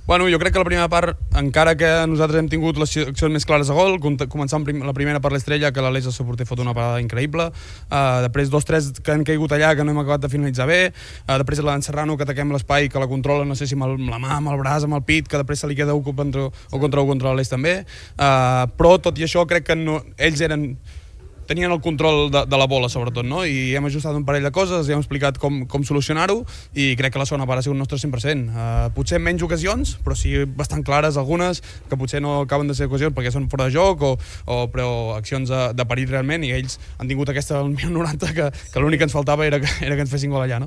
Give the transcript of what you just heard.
Bueno, jo crec que la primera part, encara que nosaltres hem tingut les accions més clares a gol, començant la primera per l'Estrella, que l'Aleix, el seu porter, fot una parada increïble, després 2-3 que han caigut allà, que no hem acabat de finalitzar bé, després l'En Serrano, que ataquem l'espai, que la controla, no sé si amb la mà, amb el braç, amb el pit, que després se li queda un contra l'Aleix també, però tot i això crec que ells tenien el control de la bola, sobretot, no? I hem ajustat un parell de coses, hem explicat com solucionar-ho, i crec que la segona part ha sigut un nostre 100%. Potser menys ocasions, però sí bastant clares algunes, que potser no acaben de ser ocasions perquè són fora de joc, però accions de perill realment, i ells han tingut aquesta al minut 90, que l'únic que ens faltava era que ens fessin gol allà, no?